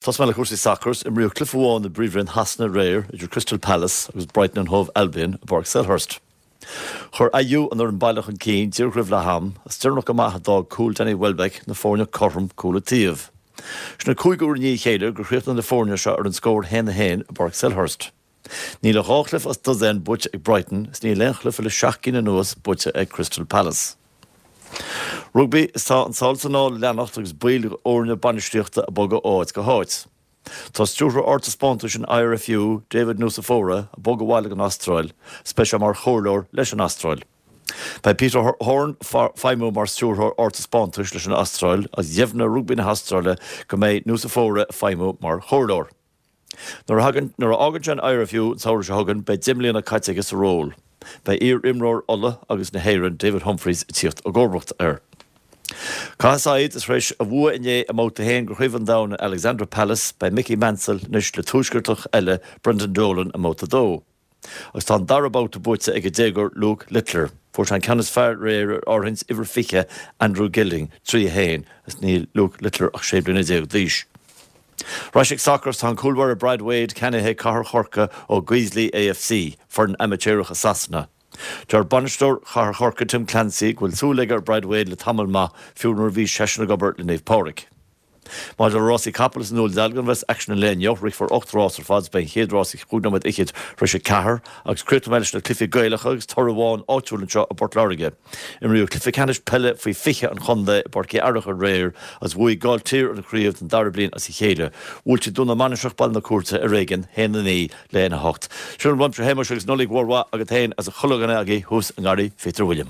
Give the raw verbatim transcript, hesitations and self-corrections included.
Tosóidh mé le cúrsaí sacair, imríodh cluiche amháin i bPríomhroinn Shasana aréir idir Crystal Palace agus Brighton and Hove Albion i bPáirc Selhurst. Chuir Ayew an fhoireann baile chun cinn díreach roimh leath am, is deireanach go maith a d'fhág cúl Danny Welbeck na foirne cothrom cúl an taobh. Sin an cúigiú huair i ndiaidh a chéile gur chríochnaigh na foirne seo ar an scór haon a haon i bPáirc Selhurst. Níl ach dhá chluiche as dosaen buaite ag Brighton is níl aon chluiche le seacht gcinn anuas buaite ag Crystal Palace. Rugbaí is tá an sál is anall ag leanacht agus baill fhoirne bainistíochta ag bogadh ó áit go háit. Tá stiúrthóir ardtaispeántais an IRFU, David Nucifora, ag bogadh abhaile go Astráil, is beidh sé mar chomhairleoir leis an Astráil. Beidh Peter Horne ag feidhmiú mar stiúrthóir ardtaispeántais leis an Astráil agus dheimhnigh Rugbaí na hAstráile go mbeidh Nucifora ag feidhmiú mar chomhairleoir. Nuair a nuair a fhágann sé an IRFU an samhradh seo chugainn beidh deich mbliana caite aige sa ról. Beidh iar-imreoir Uladh agus na hÉireann David Humphreys ag tíocht i gcomharbacht air. Caithfidh said is tar éis a bhua inné i mbabhta a haon de Chraobh an Domhain in Alexandra Palace beidh Mickey Mansell anois le tuaisceartach eile Brendan Dolan i mbabhta a dó. Agus tá an dara babhta buaite ag an déagóir Luke Littler. Fuair sé an ceann is fearr aréir ar áirithint uimhir fiche Andrew Gilding trí a haon is níl Luke Littler ach sé bliana déag d'aois. Arís ag sacar tá an cúlbáire Brad Wade ceannaithe ag Cathair Chorcaí ó Guiseley AFC, foireann amaitéarach i Sasana. Deir bainisteoir Chathair Chorcaí Tim Clancy go bhfuil súil aige ar Brad Wade le tamall maith fiú nuair a bhí seisean ag obair le Naomh Pádraig. Maidir le rásaí capall is an dúil dealgan bheas aicsean an lae inniu, rithfear ocht rás ar fad beidh an chéad rás ag cúig nóiméad fhichead tar éis a ceathair agus críochnóidh mé leis na cluichí Gaelacha agus toradh amháin áitiúil anseo i bPort Láirge. Imríodh cluiche ceannais peile faoi fiche an chontae i bPáirc Uí Fhearacha aréir agus bhuaigh Gailltír an chraobh den dara bliain as a chéile. Bhuail siad Dún na Mainistreach Baile na Cúirte ar éigean haon a naoi le haon a hocht. Sin uaimse a Shéamuis agus Nollaig mhór mhaith agat féin agus chuile dhuine agaibh thuas i ngarraí Phíotair William.